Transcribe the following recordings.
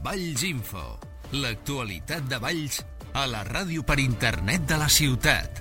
Valls Info, l'actualitat de Valls a la ràdio per internet de la ciutat.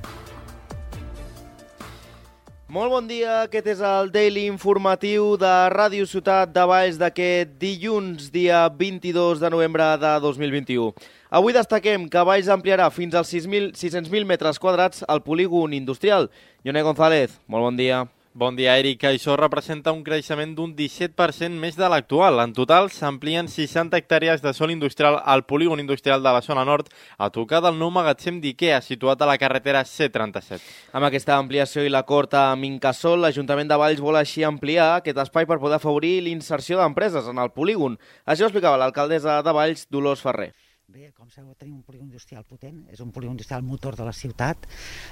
Molt bon dia, aquest és el Daily Informatiu de Ràdio Ciutat de Valls d'aquest dilluns, dia 22 de novembre de 2021. Avui destaquem que Valls ampliarà fins als 600.000 metres quadrats el polígon industrial. Ione González, molt bon dia. Bon dia, Eric. Això representa un creixement d'un 17% més de l'actual. En total, s'amplien 60 hectàrees de sòl industrial al polígon industrial de la zona nord, a tocar del nou magatzem d'IKEA, situat a la carretera C37. Amb aquesta ampliació i l'acord amb Incasòl, l'Ajuntament de Valls vol així ampliar aquest espai per poder afavorir l'inserció d'empreses en el polígon. Això ho explicava l'alcaldessa de Valls, Dolors Ferrer. Bé, com sabeu, tenim un polígon industrial potent, és un polígon industrial motor de la ciutat.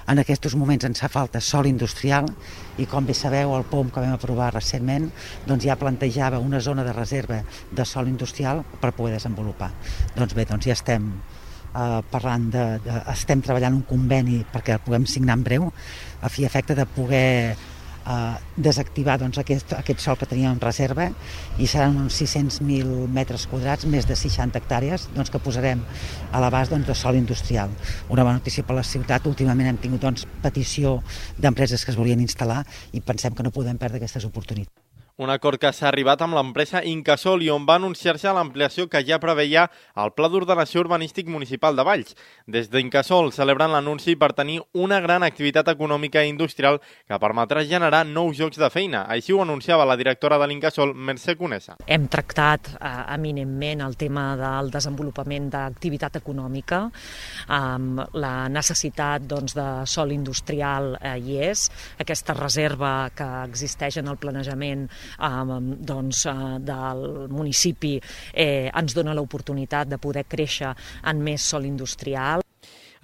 En aquests moments ens fa falta sòl industrial i, com bé sabeu, el POM que vam aprovar recentment doncs ja plantejava una zona de reserva de sòl industrial per poder desenvolupar. Doncs bé, doncs ja estem parlant estem treballant un conveni perquè el puguem signar en breu a fi i efecte de poder desactivar doncs, aquest sòl que teníem en reserva i seran uns 600.000 metres quadrats, més de 60 hectàrees doncs, que posarem a l'abast doncs, de sòl industrial. Una bona notícia per la ciutat. Últimament hem tingut doncs, petició d'empreses que es volien instal·lar i pensem que no podem perdre aquestes oportunitats. Un acord que s'ha arribat amb l'empresa Incasòl i on va anunciar-se l'ampliació que ja preveia el Pla d'Ordenació Urbanístic Municipal de Valls. Des d'Incasòl celebren l'anunci per tenir una gran activitat econòmica i industrial que permetrà generar nous llocs de feina. Així ho anunciava la directora de l'Incasòl, Mercè Conesa. Hem tractat eminentment el tema del desenvolupament d'activitat econòmica. La necessitat doncs, de sòl industrial hi és. Aquesta reserva que existeix en el planejament del municipi ens dona l'oportunitat de poder créixer en més sòl industrial.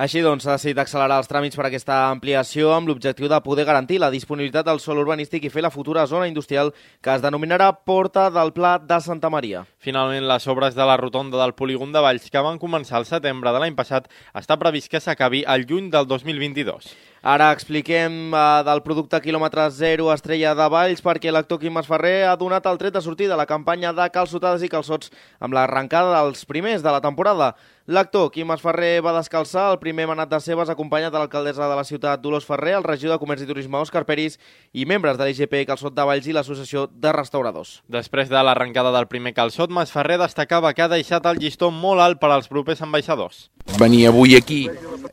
Així doncs, s'ha decidit accelerar els tràmits per a aquesta ampliació amb l'objectiu de poder garantir la disponibilitat del sòl urbanístic i fer la futura zona industrial que es denominarà Porta del Pla de Santa Maria. Finalment, les obres de la rotonda del polígon de Valls, que van començar al setembre de l'any passat, està previst que s'acabi al juny del 2022. Ara expliquem del producte quilòmetre zero Estrella de Valls perquè l'actor Quim Masferrer ha donat el tret de sortida a la campanya de calçotades i calçots amb l'arrencada dels primers de la temporada. L'actor Quim Masferrer va descalçar el primer manat de cebes acompanyat de l'alcaldessa de la ciutat Dolors Ferrer, el regidor de Comerç i Turisme Òscar Peris i membres de l'IGP Calçot de Valls i l'Associació de Restauradors. Després de l'arrencada del primer calçot, Masferrer destacava que ha deixat el llistó molt alt per als propers ambaixadors. Venir avui aquí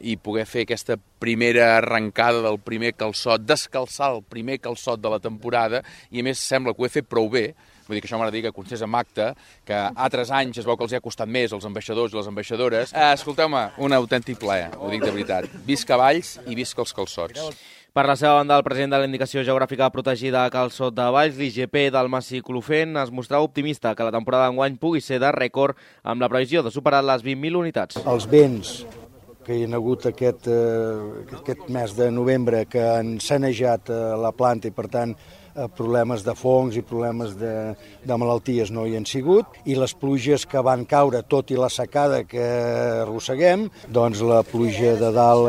i poder fer aquesta primera arrencada del primer calçot, descalçar el primer calçot de la temporada i a més sembla que ho he fet prou bé. Vull dir que això m'agrada dir que constés amb acte, que altres anys es veu que els ha costat més als ambaixadors i les ambaixadores. Escolteu-me, un autèntic plaer, ho dic de veritat. Visca Valls i visca els calçots. Per la seva banda, el president de la Indicació Geogràfica Protegida Calçot de Valls, l'IGP del Massi Clofent, es mostrava optimista que la temporada d'enguany pugui ser de rècord amb la previsió de superar les 20.000 unitats. Els vents que hi ha hagut aquest mes de novembre que han sanejat la planta i, per tant, problemes de fongs i problemes de malalties no hi han sigut, i les pluges que van caure, tot i la secada que arrosseguem, doncs la pluja de dalt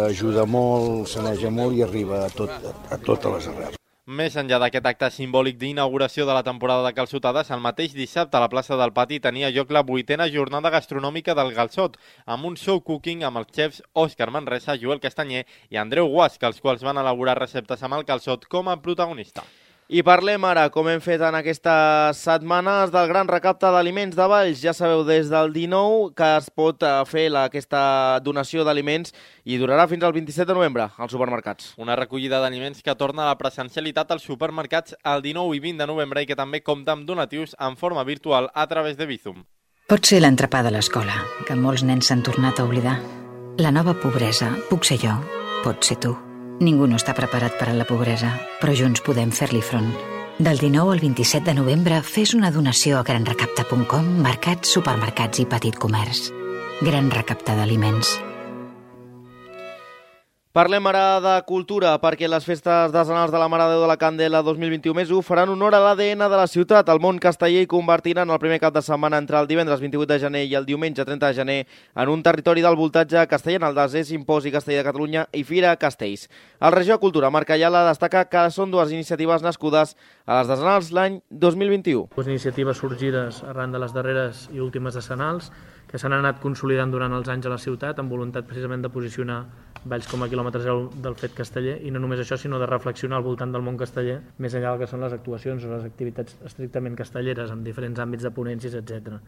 ajuda molt, saneja molt i arriba a totes les arrels. Més enllà d'aquest acte simbòlic d'inauguració de la temporada de calçotades, el mateix dissabte a la plaça del Pati tenia lloc la 8a jornada gastronòmica del calçot, amb un show cooking amb els xefs Òscar Manresa, Joel Castanyer i Andreu Guasc, els quals van elaborar receptes amb el calçot com a protagonista. I parlem ara, com hem fet en aquestes setmanes, del gran recapte d'aliments de Valls. Ja sabeu, des del 19 que es pot fer aquesta donació d'aliments i durarà fins al 27 de novembre als supermercats. Una recollida d'aliments que torna a la presencialitat als supermercats el 19 i 20 de novembre i que també compta amb donatius en forma virtual a través de Bizum. Pot ser l'entrepà de l'escola, que molts nens s'han tornat a oblidar. La nova pobresa puc ser jo, pot ser tu. Ningú no està preparat per a la pobresa, però junts podem fer-li front. Del 19 al 27 de novembre fes una donació a granrecapta.com, mercats, supermercats i petit comerç. Gran Recapte d'Aliments. Parlem ara de cultura, perquè les festes decenals de la Mare de Déu de la Candela 2021 faran honor a l'ADN de la ciutat. El món casteller hi convertiran el primer cap de setmana entre el divendres 28 de gener i el diumenge 30 de gener en un territori del voltatge castellà, en el 10è Simposi Casteller de Catalunya i Fira Castells. El regidor de Cultura, Marc Ayala, destaca que són dues iniciatives nascudes a les decenals l'any 2021. Dues iniciatives sorgides arran de les darreres i últimes decenals que s'han anat consolidant durant els anys a la ciutat amb voluntat precisament de posicionar Valls com a quilòmetre zero del fet casteller, i no només això, sinó de reflexionar al voltant del món casteller, més enllà del que són les actuacions o les activitats estrictament castelleres, amb diferents àmbits de ponències, etc.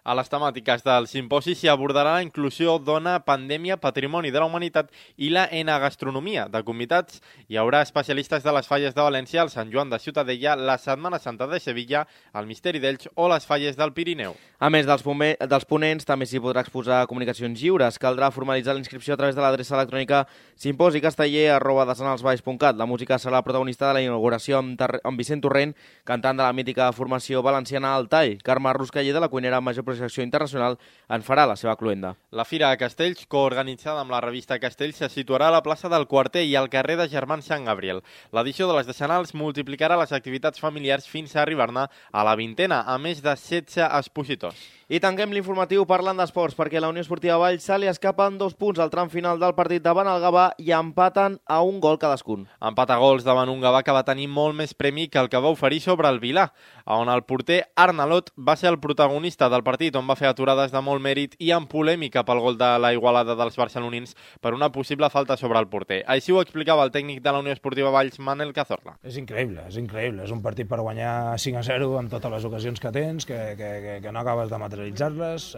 A les temàtiques del simposi s'hi abordarà la inclusió, dona, pandèmia, patrimoni de la humanitat i la enogastronomia. De convidats hi haurà especialistes de les falles de València, el Sant Joan de Ciutadella, la Setmana Santa de Sevilla, el Misteri d'Elx o les falles del Pirineu. A més dels ponents, també s'hi podrà exposar comunicacions lliures. Caldrà formalitzar la inscripció a través de l'adreça electrònica simposicasteller@decenalsvalls.cat. La música serà la protagonista de la inauguració amb Vicent Torrent, cantant de la mítica formació valenciana El Tall. Carme Ruscaller, de la cuinera major projecció internacional, en farà la seva cluenda. La Fira de Castells, coorganitzada amb la revista Castells, se situarà a la plaça del Quarter i al carrer de Germans Sant Gabriel. L'edició de les decenals multiplicarà les activitats familiars fins a arribar-ne a la 20a, a més de 16 expositors. I tanquem l'informatiu parlant d'esports, perquè la Unió Esportiva Valls se li escapen 2 punts al tram final del partit davant el Gavà i empaten a un gol cadascun. Empat a gols davant un Gavà que va tenir molt més premi que el que va oferir sobre el Vilà, on el porter Arnalot va ser el protagonista del partit, on va fer aturades de molt mèrit i amb polèmica pel gol de la Igualada dels barcelonins per una possible falta sobre el porter. Així ho explicava el tècnic de la Unió Esportiva Valls, Manel Cazorla. És increïble. És un partit per guanyar 5-0 en totes les ocasions que tens, que no acabes de materialitzar-les,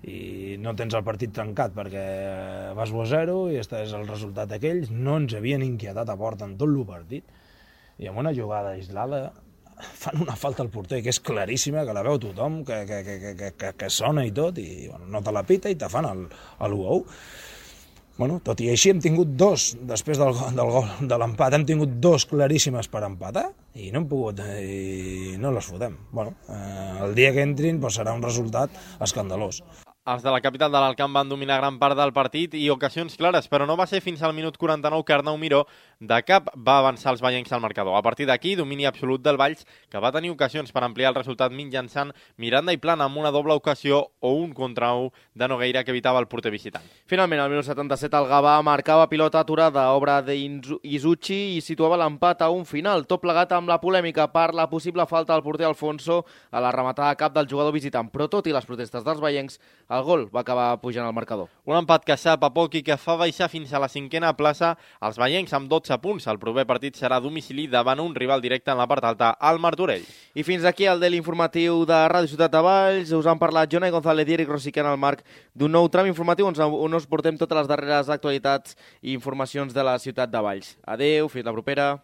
i no tens el partit trencat perquè vas 1-0 i aquest és el resultat aquells. No ens havien inquietat a porta en tot el partit, i amb una jugada aislada fan una falta al porter que és claríssima, que la veu tothom, que sona i tot, i bueno, no te la pita i te fan l'1-1. Bueno, tot i així hem tingut 2, després del gol de l'empat, hem tingut 2 claríssimes per empatar i no hem pogut, i no les fotem. Bueno, el dia que entrin doncs serà un resultat escandalós. Els de la capital de l'Alcamp van dominar gran part del partit i ocasions clares, però no va ser fins al minut 49 que Arnau Miró de cap va avançar els vallencs al marcador. A partir d'aquí, domini absolut del Valls, que va tenir ocasions per ampliar el resultat mitjançant Miranda i Plana amb una doble ocasió o un contra 1 de Nogueira que evitava el porter visitant. Finalment, al minut 77, el Gavà marcava pilota aturada, obra d'Izuchi, i situava l'empat a un final, tot plegat amb la polèmica per la possible falta del porter Alfonso a la rematada a cap del jugador visitant. Però tot i les protestes dels vallencs, el gol va acabar pujant al marcador. Un empat que sap a poc i que fa baixar fins a la 5a plaça els vallencs amb 12 punts. El proper partit serà a domicili davant un rival directe en la part alta, el Martorell. I fins aquí el Daily Informatiu de Ràdio Ciutat de Valls. Us han parlat Jonai González i Eric Rosiquén al marc d'un nou tram informatiu on us portem totes les darreres actualitats i informacions de la ciutat de Valls. Adeu, fins la propera.